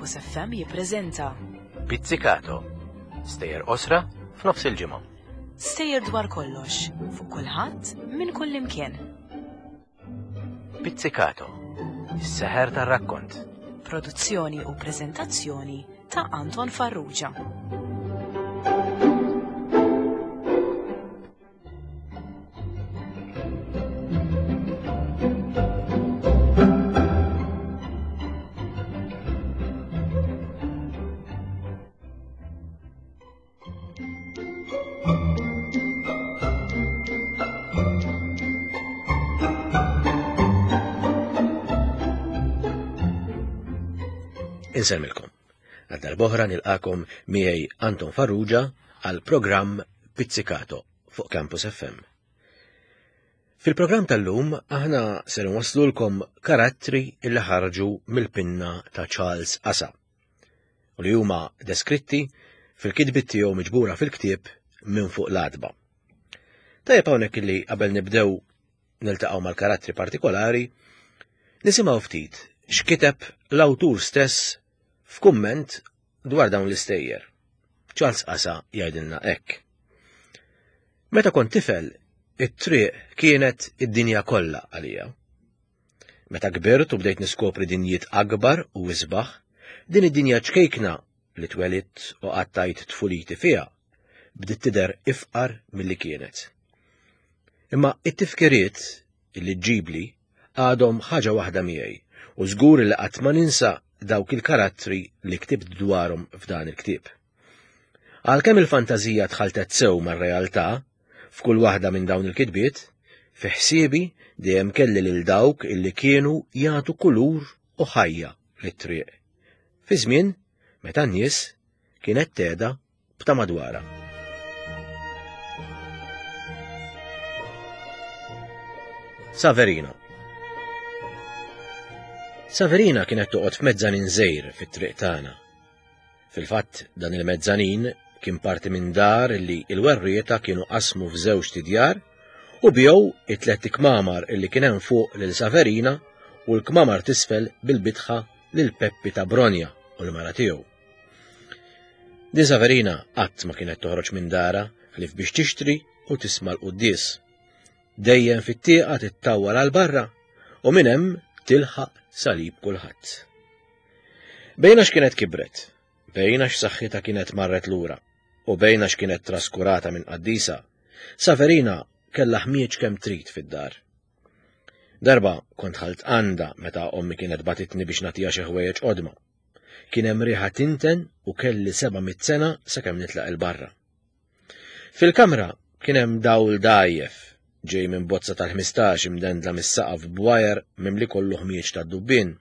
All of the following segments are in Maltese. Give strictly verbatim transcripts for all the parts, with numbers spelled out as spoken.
Campus F M jippreżenta Pizzicato. Stejjer qosra f'nofs il-ġimgħa. Stejjer dwar kollox, fuq kulħadd, minn kull imkien. Pizzicato. Is-seħer tar-rakkont. Produzzjoni u preżentazzjoni ta' Anton Farrugia. Insellmilkom. Għal darb'oħra nilqakom miegħi Anton Farrugia għal programm Pizzicato fuq Campus F M. Fil-programm tal-lum aħna ser nwaslulkom karattri illi ħarġu mill-pinna ta' Charles Asa u li huma deskritti fil-kitbiet tiegħu miġbura fil-ktieb Minn fuq l-għatba. Tajjeb hawnhekk illi qabel nibdew niltaqgħu mal-karattri partikolari, nisimgħu ftit x'kiteb l-awtur stess f'kumment dwar dawn l-istejjer. Charles Asa jgħidilna hekk. Meta kont tifel, it-triq kienet id-dinja kollha għalija. Meta kbirt u bdejt niskopri dinjiet akbar u isbaħ, din id-dinja ċkejkna li twelidt u qattajt tfuliti fiha, bdiet tidher ifqar milli kienet. Imma it-tifkiriet li ġġibli għadhom ħaġa waħda miegħi u żgur li qatt ma ninsa dawk il-karattri li ktibt dwarhom f'dan il-ktieb. Għalkemm il-fantażija tħaltet sew mar-realtà f'kull waħda minn dawn il-kitbiet, fi ħsiebi dejjem kelli lil dawk illi kienu jagħtu kulur u ħajja lit-triq. Fi żmien meta n-nies kienet tgħeda b'ta' madwarha. Saverina. Saverina kienet toqgħod f'mezzanin żgħir fit-triq tagħna. Fil-fatt dan il-mezzanin kien parti minn dar illi l-werrieta kienu qasmu f'żewġ tidjar u bjew it-tliet kmamar illi kien hemm fuq lil Saverina u l-kmamar t'isfel bil-bitħa lil Peppi ta' Bronja u l-mara tiegħu. Din Saverina qatt ma kienet toħroġ minn dara ħlief biex tixtri u tisma' l-quddies. Dejjem fit-tieqa tittawwal għal barra u minn hemm tilħaq salib kulħadd. Bejna x'kienet kibret, bejna x'saħħitha kienet marret lura u bejna x'kienet traskurata minn qaddisa, Saverina kellha ħmieġ kemm trid fid-dar. Darba kont ħalt għandha meta ommi kienet batitni biex nagħtiha xi ħwejjeġ qodma. Kien hemm riħa tinten u kelli seba' mitt sena sakemm nitlaq il-barra. Fil-kamra kien hemm dawl dgħajjef ġej minn bozza tal-ħmistax imdendla mis-saqaf b'wajer mimli kollu ħmieġ tad-dubbien.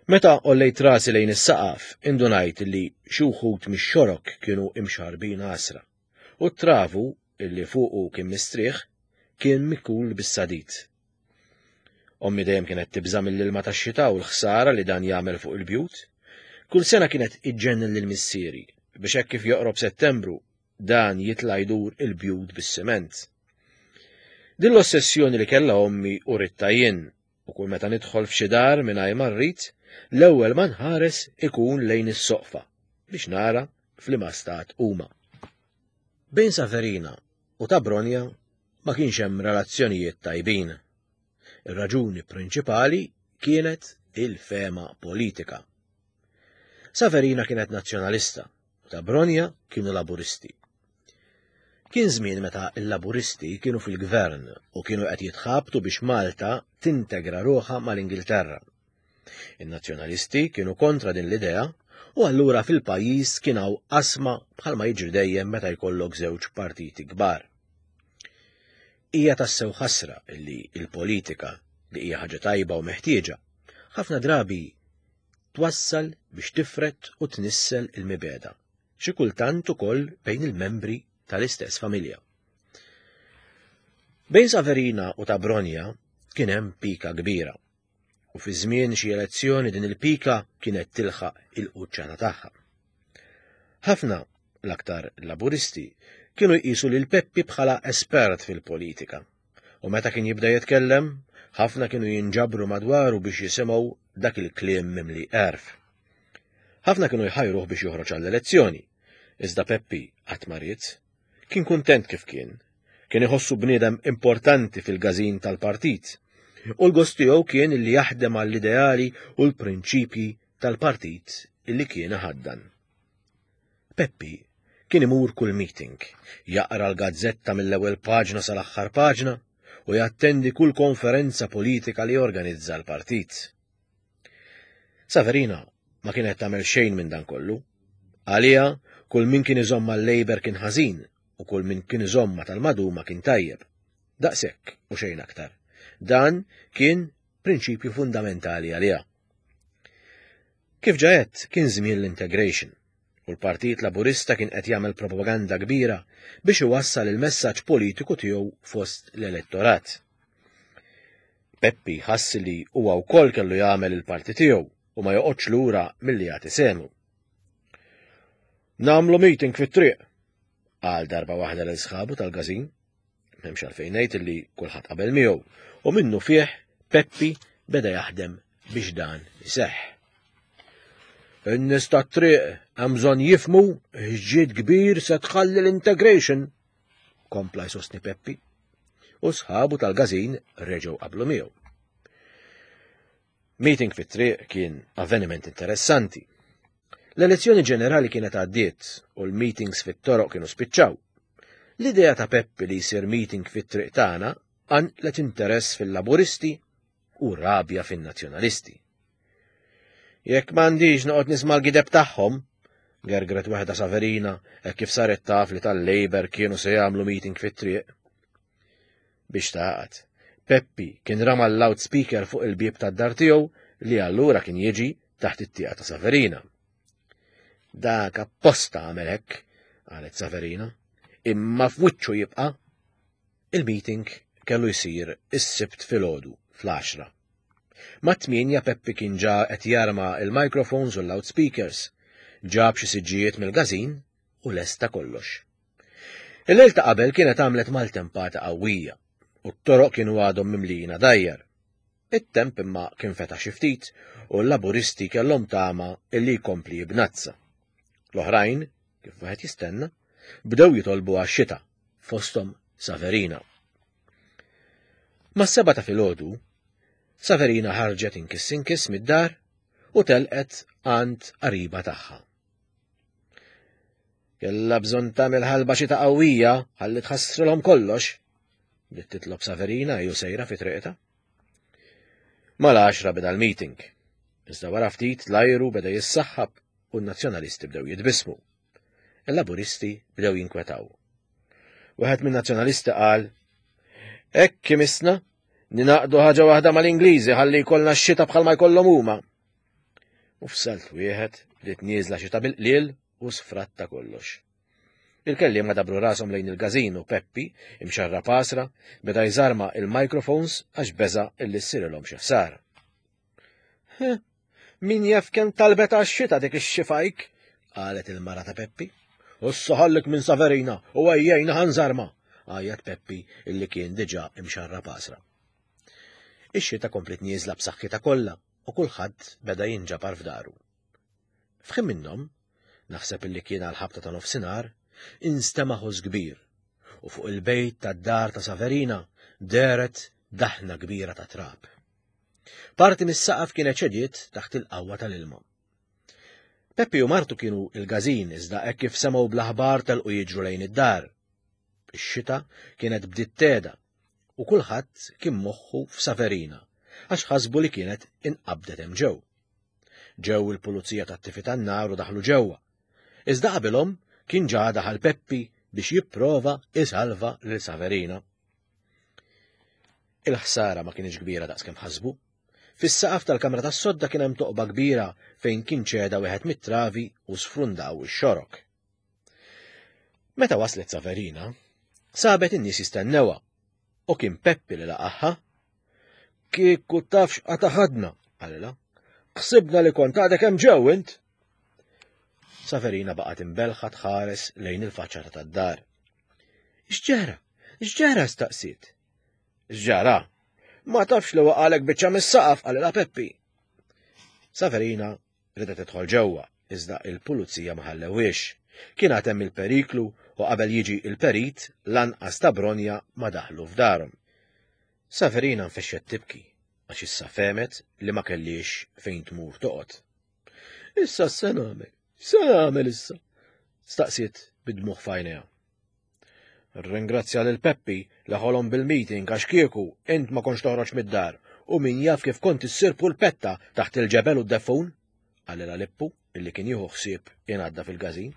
Meta qollejt rasi lejn is-saqaf, indunajt li xi wħud mix-xorok kienu imxarbin għasra, u t-travu illi fuqu kien mistrieħ kien mikul bis-sadid. Ommi dejjem kienet tibża' mill-ilma tax-xita u l-ħsara li dan jagħmel fuq il-bjut. Kull sena kienet iġġennen lil missieri biex hekk kif joqrob Settembru dan jitla' jdur il-bjut bis-siment. Din l-ossessjoni li kellha ommi u ritta jien, u kull meta nidħol f'xi dar mingħajr ma rrid, l-ewwel ma nħares ikun lejn is-soqfa biex nara f'liema stat huma. Bejn Saverina u ta' Bronja ma kienx hemm relazzjonijiet tajbin. Ir-raġuni prinċipali kienet il-fema politika. Saverina kienet nazzjonalista u ta' Bronja kienu laburisti. Kien żmien meta l-laburisti kienu fil-gvern u kienu qed jitħabtu biex Malta tintegra ruħha mal-Ingilterra. In-nazzjonalisti kienu kontra din l-idea u allura fil-pajjiż kien hawn qasma bħalma jiġri dejjem meta jkollok żewġ partiti kbar. Hija tassew ħasra li l-politika, li hija ħaġa tajba u meħtieġa, ħafna drabi twassal biex tifret u tnissel il-mibeda, xi kultant ukoll bejn il-membri tal-istess familja. Bejn Saverina u ta' Bronja kien hemm pika kbira, u fi żmien xi elezzjoni din il-pika kienet tilħaq il-quċċata tagħha. Ħafna, l-aktar laburisti, kienu jqisu lil Peppi bħala espert fil-politika, u meta kien jibda jitkellem, ħafna kienu jinġabru madwaru biex jisimgħu dak il-kliem mimli għerf. Ħafna kienu jħajruh biex joħroġ għall-elezzjoni, iżda Peppi qatt ma ried. Kien kuntent kif kien. Kien iħossu bniedem importanti fil-każin tal-partit. U l-gost tiegħu kien li jaħdem għall-ideali u l-prinċipji tal-partit illi kien iħaddan. Peppi kien imur kull meeting, jaqra l-gazzetta mill-ewwel paġna sal-aħħar paġna u jattendi kull konferenza politika li jorganizza l-partit. Saverina ma kienet tagħmel xejn minn dan kollu. Għalija, kull min kien iżomm mal-Labour kien ħażin u kull min kien iżomm ma' tal-Maduma kien tajjeb. Daqshekk u xejn aktar. Dan kien prinċipju fundamentali għaliha. Kif ġa għedt, kien żmien l-integration u l-Partit Laburista kien qed jagħmel propaganda kbira biex iwassal il-messaġġ politiku tiegħu fost l-elettorat. Peppi ħass li huwa wkoll kellu jagħmel il-parti tiegħu u ma joqgħodx lura milli jagħti sehmu. Nagħmlu meeting fit-triq, qal darba waħda lil sħabu tal-każin. M'hemmx għalfejn ngħid li kulħadd qabel miegħu u minnu fih Peppi beda jaħdem biex dan iseħħ. In-nies tat-triq hemm bżonn jifhmu x'ġid kbir se tħalli l-integration, kompla jsostni Peppi. U sħabu tal-każin reġgħu qablu miegħu. Meeting fit-triq kien avveniment interessanti. L-elezzjoni ġenerali kienet għaddiet u l-meetings fit-toroq kienu spiċċaw. L-idea ta' Peppi li jsir meeting fit-triq tagħna qanqlet interess fil-Laburisti u rabja fin-Nazzjonalisti. Jekk m'għandix noqgħod nisma' l-gideb tagħhom, gergret waħda Saverina hekk kif saret taf li tal-Labour kienu se jagħmlu meeting fit-triq. Biex taqgħad, Peppi kien rama l-loudspeaker fuq il-bieb tad-dar tiegħu li allura kien jiġi taħt it-tieqa ta' Saverina. Dak apposta għamel hekk, qalet Saverina, imma f'wiċċu jibqa'. Il-meeting kellu jsir is-Sibt filgħodu fl-għaxra. Mat-tmienja Peppi kien ġa qed jarma il-microphones u l-loudspeakers, ġab xi siġġijiet mill-każin u lesta kollox. Il-lejl ta' qabel kienet għamlet maltempata qawwija u t-toroq kienu għadhom mimlijin għadajjar. It-temp imma kien fetaħ xi ftit u l-Laburisti kellhom tama illi jkompli jibnazza. L-oħrajn, kif wieħed jistenna, bdew jitolbu għax-xita, fosthom Saverina. Mas-sebgħa ta' filgħodu, Saverina ħarġet inkiss inkiss mid-dar u telqet għand qariba tagħha. Kellha bżonn tagħmel ħalba xita qawwija ħalli tħassrilhom kollox, bdiet titlob Saverina ju sejra fi triqta. Mal-għaxra beda l-meeting. Iżda wara ftit l-ajru beda jissaħħab u n-nazzjonalisti bdew jitbissmu. Il-Laburisti bdew jinkwetaw. Wieħed min-nazzjonalisti qal, "Hekk imissna ningħaqdu ħaġa waħda mal-Ingliżi ħalli jkollna x-xita bħalma jkollhom huma." U f'salt wieħed bdiet nieżla xita bil-qliel u sfratta kollox. Il-kelliema dabru rashom lejn il-każin u Peppi, imxarrab għasra, beda jżarma il-microphones għax beża' illi ssirilhom xi ħsara. Min jaf kemm talbet għax-xita dik ix-xifajk, qalet il-mara ta' Peppi. U ħallik minn Saverina u ejjejna ħa nżarma, għajjat Peppi illi kien diġà imxarrab għasra. Ix-xita komplet nieżla b'saħħitha kollha u kulħadd beda jinġabar f'daru. F'ħin minnhom, naħseb illi kien għal ħabta ta' nofsinhar, instema' ħoss kbir u fuq il-bejt tad-dar ta' Saverina dehret daħna kbira ta' trab. Parti mis-saqaf kienet ċediet taħt il-qawwa tal-ilma. Peppi u martu kienu il-każin iżda hekk kif semgħu bl-aħbar telqu jiġru lejn id-dar. Ix-xita kienet bdiet tehda u kulħadd kien moħħu f'Saverina għax ħasbu li kienet inqabdet hemm ġew. Ġew il-pulizija tat-tifi tan-nar u daħlu ġewwa. Iżda qabilhom kien ġa daħal Peppi biex jipprova isalva lil Saverina. Il-ħsara ma kienx kbira daqskemm ħasbu. Fis-saqaf tal-kamra tas-sodda kien hemm toqba kbira fejn kien ċeda wieħed mit-travi u sfrundaw ix-xorok. Meta waslet Saverina, sabet in-nies jistennewha u kien Peppi li laqaħħa. Kieku tafx qataħadna, qalilha. Ħsibna li kont għadek hemm ġew int. Saverina baqgħet imbelħa tħares lejn il-faċċata tad-dar. X'ġara? X'ġara staqsiet? X'ġara? Ma tafx li waqalek biċċa mis-saqaf, qalilha Peppi. Saverina ridet tidħol ġewwa, iżda il-pulizija ma ħallewhiex. Kien għad hemm il-periklu u qabel jiġi il-perit lanqas ta' Bronja ma daħlu f'darhom. Saverina nfexxet tibki għax issa fehmet li ma kellix fejn tmur toqgħod. Issa x'se nagħmel? X'se nagħmel issa? Staqsiet bid-dmugħ f'għajnejha. Ringrazzja lil Peppi li ħolom bil-meeting għax kieku int ma kontx toħroġ mid-dar u min jaf kif kont issir pulpetta taħt il-ġebel u d-deffun, qalilha Lippu illi kien jieħu ħsieb ingħadda fil-każin.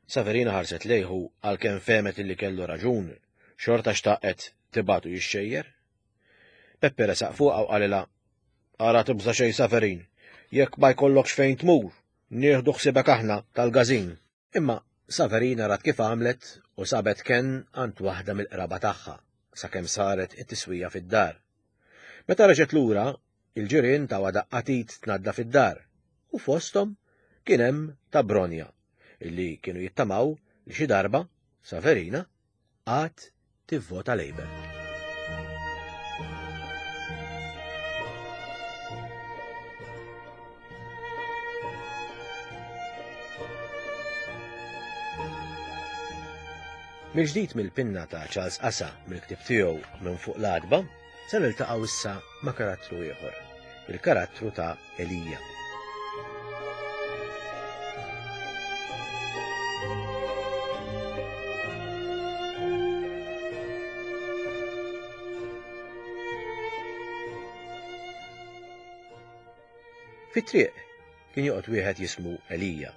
Saverina ħarset lejhu għalkemm fehmet illi kellu raġun, xorta xtaqet tibatu jixxejjer. Peppi resaq fuqha u qalilha, Ara tibża' xejn Saverin, jekk ma jkollokx fejn tmur, nieħdu ħsiebek aħna tal-każin. Imma Saverina rat kif għamlet u sabet kenn għand waħda mill-qraba tagħha sakemm saret it-tiswija fid-dar. Meta reġgħet lura, il-ġirien tawha daqqa t'id tnaddaf id-dar u fosthom kien hemm ta' Bronja illi kienu jittamaw li xi darba Saverina għad tivvota Labour. Mill-ġdid mill-pinna ta' Charles Asa mill-ktieb tiegħu Minn fuq l-għatba, se niltaqgħu issa ma' karattru ieħor, il-karattru ta' Elija. Fit-triq kien joqgħod wieħed jismu Elija,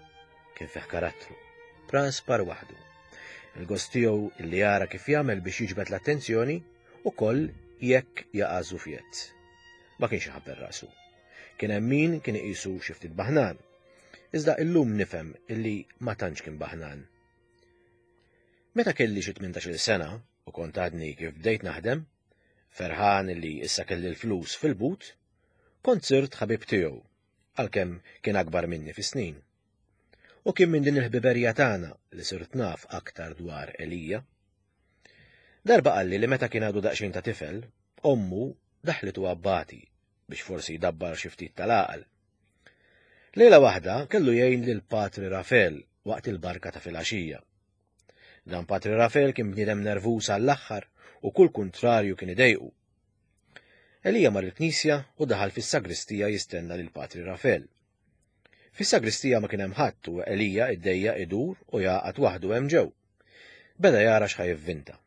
kien fih karattru, praspar waħdu. Il-gost tiegħu illi jara kif jagħmel biex jiġbed l-attenzjoni ukoll jekk jaqa' żufjett. Ma kienx iħabber rasu. Kien hemm min kien iqisu xi ftit baħnan. Iżda illum nifhem illi ma tantx kien baħnan. Meta kelli xi tmintax-il sena u kont għadni kif bdejt naħdem, ferħan illi issa kelli l-flus fil-but, kont sirt ħabib tiegħu, għalkemm kien akbar minni fis-snin. U kien minn din il-ħbiberija tagħna li sirt naf aktar dwar Elija. Darba qalli li meta kien għadu daqsxejn ta' tifel, ommu daħlitu abbati biex forsi jdabbar xi ftit tal-għaqal. Lejla waħda kellu jgħin lil Patri Rafel waqt il-barka ta' filgħaxija. Dan Patri Rafel kien bniedem nervuż għall-aħħar u kull kuntrarju kien idejqu. Elija mar il-knisja u daħal fis-sagristija jistenna lil Patri Rafel. Fis-sagristija ma kien hemm ħadd u Elija iddejja idur u jaqgħad waħdu hemm ġew. Beda jara x'ħa jivvinta.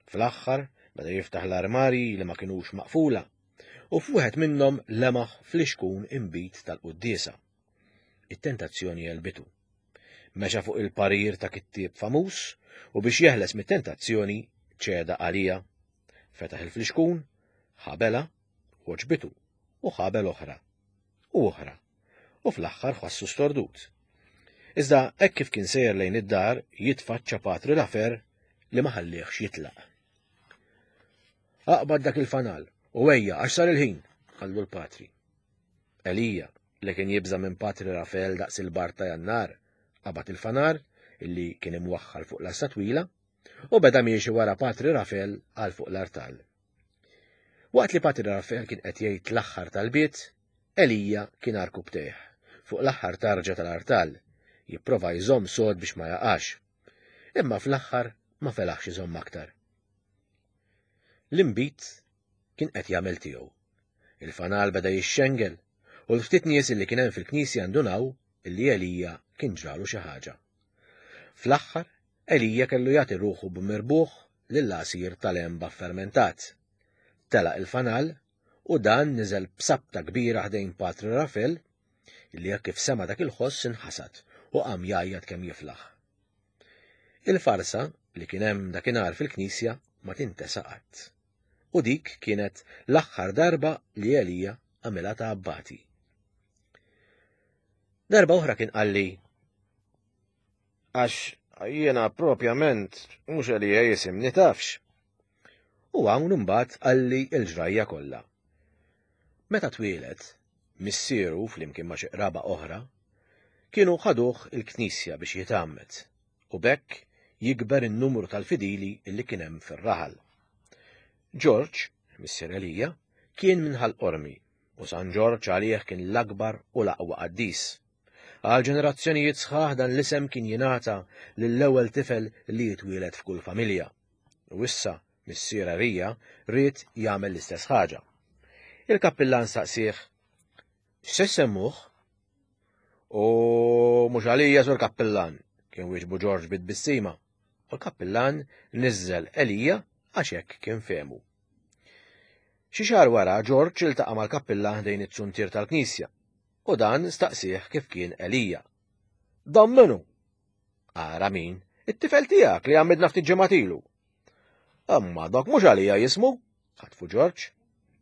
Fl-aħħar beda jiftaħ l-armarji li ma kinux maqfula u f'wieħed minnhom lemaħ flixkun inbid tal-quddiesa. It-tentazzjoni għelbitu. Mexa fuq il-parir ta' kittieb famuż u biex jeħles mit-tentazzjoni ċeda għalija. Fetaħ il-flixkun, ħabela, għoġbitu u ħabel oħra u oħra. U fl-aħħar ħassu stordut. Iżda hekk kif kien sejjer lejn id-dar jitfaċċa Patri Lafer li ma ħallihx jitlaq. Aqbad dak il-fanal u ejja għax sar il-ħin, qallu l-Patri. Elija, li kien jibża' minn Patri Rafel daqs il-bar ta' Jannar, qabad il-fanar illi kien imwaħħal fuq l-asta twila u beda miexi wara Patri Rafel għal fuq l-artal. Waqt li Patri Rafel kien qed jgħid l-aħħar tal-bit, Elija kien arkub tejh fuq l-aħħar tarġa tal-artal, jipprova jżomm sod biex ma jaqax. Imma fl-aħħar ma felaħx iżomm aktar. L-inbid kien qed jagħmel tiegħu. Il-fanal beda jixxengel u l-ftit nies li kien hemm fil-knisja ndunaw illi Elija kien ġralu xi ħaġa. Fl-aħħar Elija kellu jagħti ruħu b'mirbuħ lill-għasir tal-għenba fermentat. Telaq il-fanal u dan niżel b'sabta kbira ħdejn Patri Rafel illi hekk kif sema dak il-ħoss inħasad u qam jgħajjat kemm jiflaħ. Il-farsa li kien hemm dakinhar fil-knisja ma tintesa qatt. U dik kienet l-aħħar darba li Elija għamilha ta' abbati. Darba oħra kien qalli, għax jiena propjament mhux Elija jisimni tafx. U hawn imbagħad qalli l-ġrajja kollha. Meta twieled, missieru flimkien ma' xi qraba oħra, kienu ħaduh il-knisja biex jitgħammed u b'hekk jikber in-numru tal-fidili illi kien hemm fir-raħal. George, missier Elija, kien minn Ħal Qormi u San Ġorġ għalih kien l-akbar u l-aqwa qaddis. Għal ġenerazzjonijiet sħaħ dan l-isem kien jingħata lill-ewwel tifel li jitwieled f'kull familja. U issa missier Elija ried jagħmel l-istess ħaġa. Il-kappillan saqsih, "X'se ssemmuh?" "U mhux għalija, sur kappillan," kien wieġbu Ġorġ bit-tbissima. U l-kappillan niżżel Elija għax hekk kien fehmu. Xi xahar wara Ġorġ iltaqa' mal-kappillan ħdejn it-suntier tal-knisja u dan staqsih kif kien Elija. "Dan min hu?" "Ara min, it-tifel tiegħek li għamidna ftit ġimgħat ilu." "Imma dak mhux għalija jismu," ħatfu Ġorġ.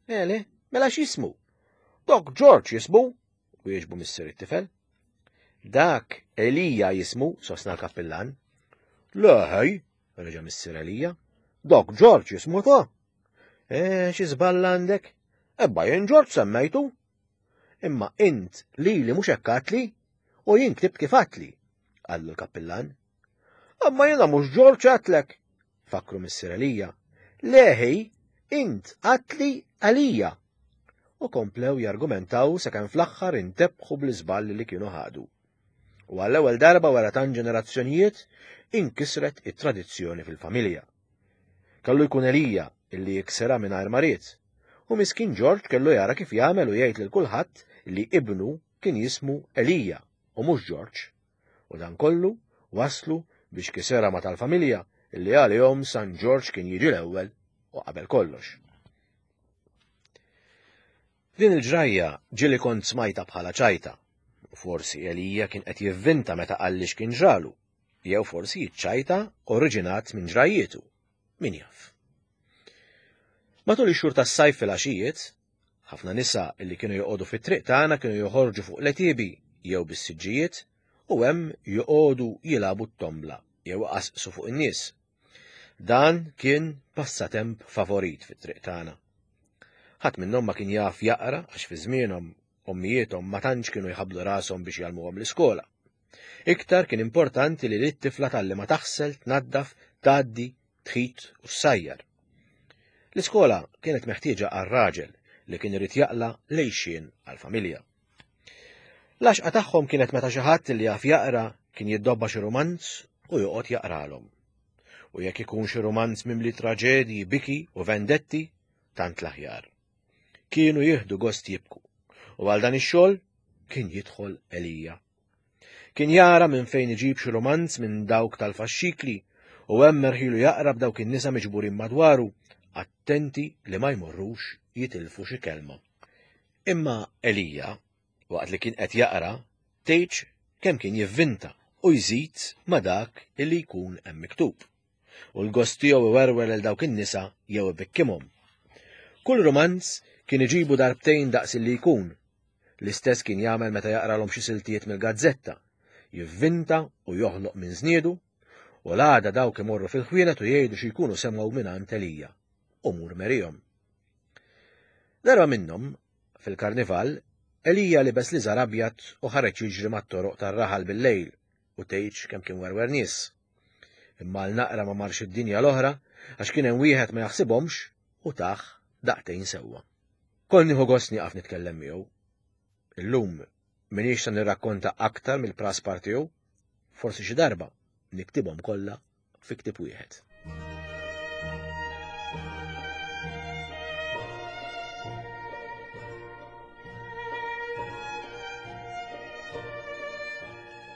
"Ele, mela x'jismu?" "Dak Ġorġ jismu," wieġbu missier it-tifel. "Dak Elija jismu," sostna l-kappillan. "Le ħej," reġa' missier Elija, "dak Ġorġ jismu ta'." "Eh, xi żball għandek? Ebba jien Ġorġ semmejtu." "Imma int lili mhux hekk għadtli u jien ktibt kif għadtli," qallu l-kappillan. "Imma jiena mhux Ġorġ għadtlek," fakru missier Elija. "Leħi, int għadtli Elija." U komplew jargumentaw sakemm fl-aħħar intebħu bl-iżball li kienu ħadu. U għall-ewwel darba wara tant ġenerazzjonijiet inkisret it-tradizzjoni fil-familja. Kellu jkun Elija illi jiksirha mingħajr ma ried, u miskin Ġorġ kellu jara kif jagħmel u jgħid lil kulħadd li ibnu kien jismu Elija u mhux Ġorġ. U dan kollu waslu biex kisirha ma' tal-familja illi għalihom San Ġorġ kien jiġi l-ewwel u qabel kollox. Din il-ġrajja ġieli kont smajta bħala ċajta, u forsi Elija kien qed jivvinta meta qalli x'kien ġralu, jew forsi ċ-ċajta oriġinat minn ġrajjietu, min jaf. Matul ix-xhur tas-sajf fil-għaxijiet, ħafna nisa illi kienu joqogħdu fit-triq tagħna kienu joħorġu fuq l-għetiebi jew bis-siġġijiet u hemm joqogħdu jilagħbu t-tombla jew iqasqsu fuq in-nies. Dan kien passatemp favorit fit-triq tagħna. Ħadd minnhom ma kien jaf jaqra għax fi żmienhom ommijiethom ma tantx kienu jħabblu rashom biex jgħallmuhom l-iskola. Iktar kien importanti li lit-tifla tgħallimha taħsel, tnaddaf, tgħaddi, tħit u ssajjar. L-iskola kienet meħtieġa għar-raġel li kien irid jaqla' lejxien għall-familja. L-għaxqa tagħhom kienet meta xi ħadd li jaf jaqra kien jiddobba xi rumanz u joqgħod jaqralhom. U jekk ikun xi rumanz mimli traġedji, biki u vendetti, tant l-aħjar. Kienu jieħdu gost jibku, u għal dan ix-xogħol kien jidħol Elija. Kien jara minn fejn iġib xi rumanz minn dawk tal-faxxikli u hemm merħilu jaqra b'dawk in-nisa miġburin madwaru, attenti li ma jmorrux jitilfu xi kelma. Imma Elija, waqt li kien qed jaqra, tgħidx kemm kien jivvinta u jżid ma dak illi jkun hemm miktub. U l-gost tiegħu iwerwer lil dawk in-nisa jew ibikkimhom. Kull rumanz kien iġibu darbtejn daqs illi jkun. L-istess kien jagħmel meta jaqralhom xi siltijiet mill-gazzetta, jivvinta u joħloq minn żniedu, u l-għada dawk imorru fil-ħwienet u jgħidu xi jkunu semgħu mingħand Elija u mur merihom. Darba minnhom, fil-karnival, Elija libes liżar abjad u ħareġ jiġri mat-toroq tar-raħal bil-lejl u tgħidx kemm kien werwer nies. Imma għal naqra ma marx id-dinja l-oħra għax kien hemm wieħed ma jaħsibhomx u tah daqtejn sewwa. Kont nieħu gost nieqaf nitkellem miegħu. Illum m'iniex se nirrakkonta aktar mill-praspar tiegħu, forsi xi darba niktibhom kollha fi ktieb wieħed.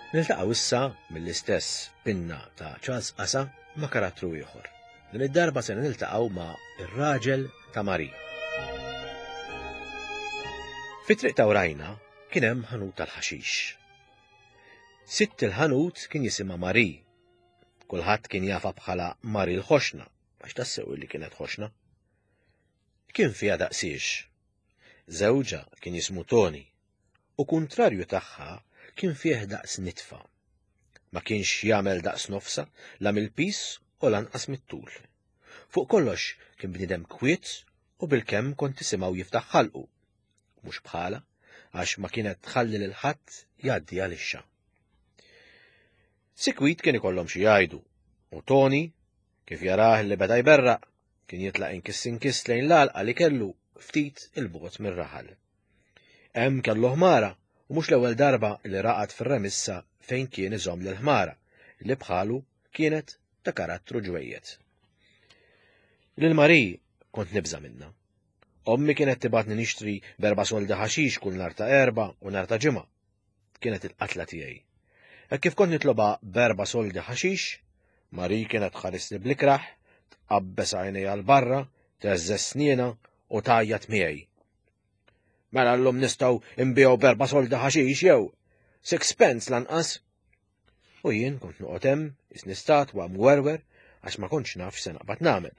Niltaqgħu issa mill-istess pinna ta' Charles Qasa ma' karattru ieħor. Din id-darba se niltaqgħu ma' ir-raġel ta' Marie. Fit-triq ta' Urajna kien hemm ħanut tal-ħaxix. Sitt il-ħanut kien jisimha Marie. Kulħadd kien jafha bħala Marie l-ħoxna, għax tassew li kienet ħoxna. Kien fiha daqsiex. Żewġha kien jismu Toni, u kuntrarju tagħha kien fih daqs nitfa. Ma kienx jagħmel daqs nofsa, la mill-pis u lanqas mit-tul. Fuq kollox kien bniedem kwiet u bilkemm kont tisimgħu jiftaħ ħalqu. Mhux bħala, għax ma kienet tħalli lil ħadd jgħaddi għalixxa. Sikwit kien ikollhom xi jgħidu, u Toni, kif jarah li beda jberraq, kien jitlaq inkiss inkiss lejn l-għalqa li kellu ftit il-bogħod mir-raħal. Hemm kellu ħmara U mhux l-ewwel darba li raqad fir-remissa fejn kien iżomm lil-ħmara li bħalu kienet ta' karattru ġwejjed. Lil Marie kont nibża' minnha. Ommi kienet tibgħatni nixtri b'erba' soldi ħaxix kull nhar ta' Erbgħa u nhar ta' Ġimgħa. Kienet il-qatla tiegħi. Hekk kif kont nitlobha b'erba' soldi ħaxix, Marie kienet tħarisni bl-ikrah, tqabbes għajnejha 'l barra, teżżeż snienha u tgħajjat miegħi. Mela llum nistgħu nbigħu b'erba' soldi ħaxix jew sixpence lanqas. U jien kont noqgħod hemm isni statwa mwerwer għax ma kontx naf x'se naqbad nagħmel.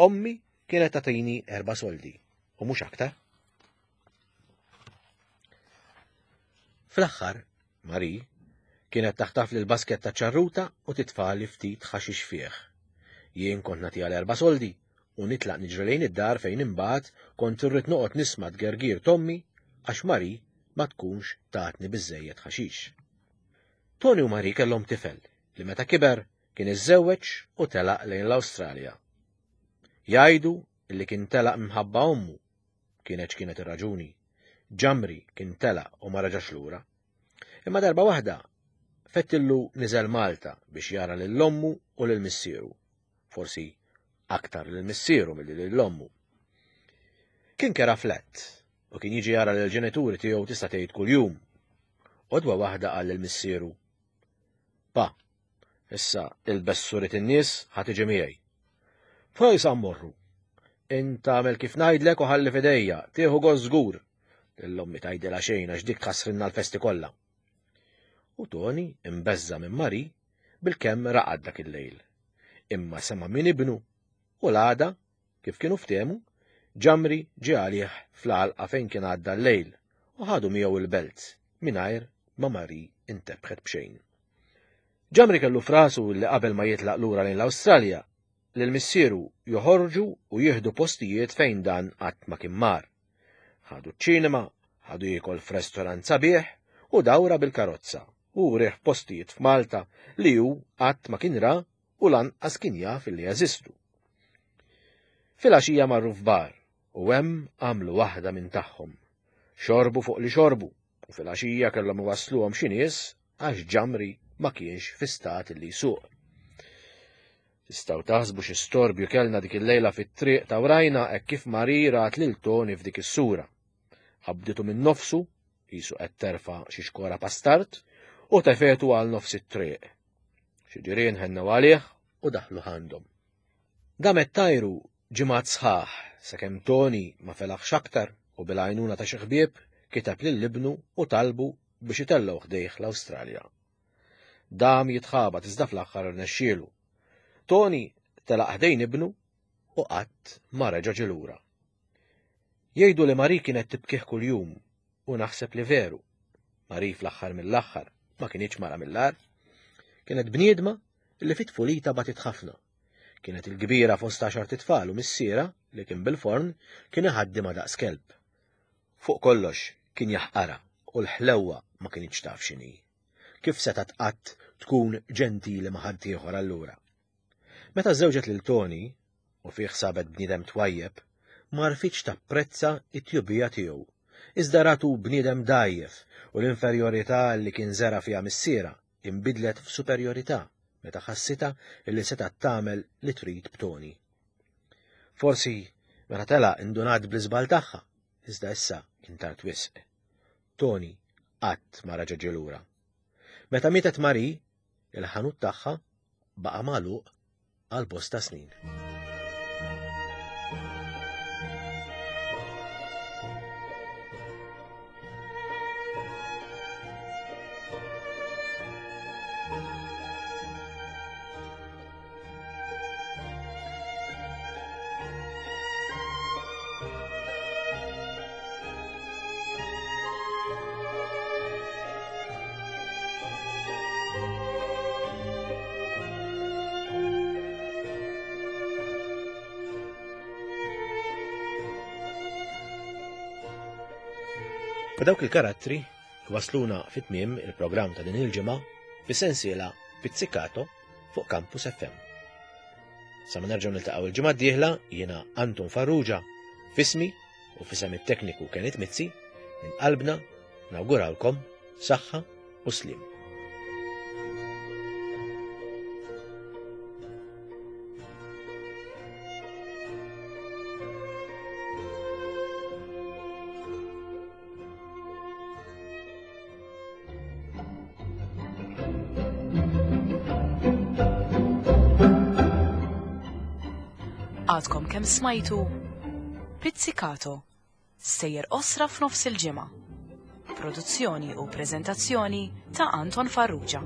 Ommi kienet tagħtini erba' soldi u mhux aktar. Fl-aħħar, Marie kienet taħtaf lil basket ta' ċarruta u titfali ftit ħaxix fih. Jien kont nagħtiha l-erba' soldi u nitlaq niġri lejn id-dar fejn imbagħad kont irrid noqgħod nisma' tgergir t'ommi għax Marie ma tkunx tatni biżżejjed ħaxix. Toni u Marie kellhom tifel li meta kiber kien iżżewweġ u telaq lejn l-Awstralja. Jgħidu li kien telaq minħabba ommu, kienet x'kienet ir-raġuni. Ġamri kien telaq u ma reġax lura. Imma darba waħda fettillu niżel Malta biex jara lil ommu u lil missieru. Forsi aktar lil missieru milli lil ommu. Kien kera flat u kien jiġi jara lil ġenituri tiegħu tista' tgħid kuljum. Għodwa waħda qal lil missieru: Pa, issa ilbes surit in-nies ħa tiġi miegħi. Fejn sa mmorru? Int agħmel kif ngħidlek u ħalli f'idejja, tieħu gost żgur. Lil ommi tgħidilha xejn għax dik tħassrilna l-festi kollha. U Toni imbeżża' minn Marie bilkemm raqad dak il-lejl. Imma sema' minn ibnu u l-għada, kif kienu ftehmu, Ġamri ġie għalih fl-għalqa fejn kien għadda l-lejl u ħadu miegħu il-belt mingħajr ma Marie intebħet b'xejn. Ġamri kellu frasu li qabel ma jitlaq lura lejn l-Awstralja lil missieru joħorġu u jieħdu postijiet fejn dan qatt ma kien mar. Ħadu ċ-ċinema, ħadu jiekol f'restorant sabiħ u dawra bil-karozza u rieħ postijiet f'Malta li hu qatt ma kien ra u lanqas kien jaf li jeżistu. Filgħaxija marru f'bar u hemm għamlu waħda minn tagħhom. Xorbu fuq li xorbu u filgħaxija kellhom iwassluhom xi nies għax Ġamri ma kienx fi stat li jsuq. Tistgħu taħsbu xi storbju kellna dik il-lejla fit-triq ta' wrajna hekk kif Marie rat lil Toni f'dik is-sura. Qabditu minn nofsu, qisu qed terfa' xi xkora pastart, u tefetu għal nofs it-triq. Xi ġirien ħennew għalih u daħlu għandhom. Damet tajru ġimgħat sħaħ sakemm Toni ma felaħx aktar u bil-għajnuna ta' xi ħbieb kiteb lil ibnu u talbu biex itellgħu ħdejh l-Awstralja. Dam jitħabat iżda fl-aħħar irnexxielu. Toni telaq ħdejn ibnu u qatt ma reġa' ġie lura. Jgħidu li Marie kienet tibkih kuljum u naħseb li veru. Marie fl-aħħar mill-aħħar ma kinitx mara mill-agħar. Kienet bniedma li fit-tfulita batit ħafna. Kienet il-kbira fost għaxar titfal u missiera li kien bil-forn kien iħaddimha daqs kelb. Fuq kollox kien jaħqarha u l-ħlewwa ma kinitx taf x'inhi. Kif setgħet qatt tkun ġentili ma' ħaddieħor allura? Meta żewġet lil Toni u fih sabet bniedem twajjeb, ma rfitx tapprezza t-tjubija tiegħu. Iżda ratu bniedem dgħajjef u l-inferjorità li kien żera fiha missiera inbidlet f'superjorità meta ħassitha li setgħet tagħmel li trid b'Toni. Forsi meta telaq indunat bl-iżball tagħha, iżda issa kien tard wisq. Toni qatt ma reġa' ġie lura. Meta mietet Marie, il-ħanut tagħha baqa' magħluq għal bosta snin. U dawk il-karattri wasluna fit-tmiem il-programm ta' din il-ġimgħa fis-sensiela Pizzicato fuq Campus F M. Sa ma nerġgħu niltaqgħu il-ġimgħa d-dieħla jiena Anton Farrugia, fismi u fisem it-tekniku Kenneth Mizzi, minn qalbna Nawguralkom saħħa u sliem. Għadkom kemm smajtu Pizzicato, sejjer osra f'nofs il-ġimgħa. Produzzjoni u preżentazzjoni ta' Anton Farrugia.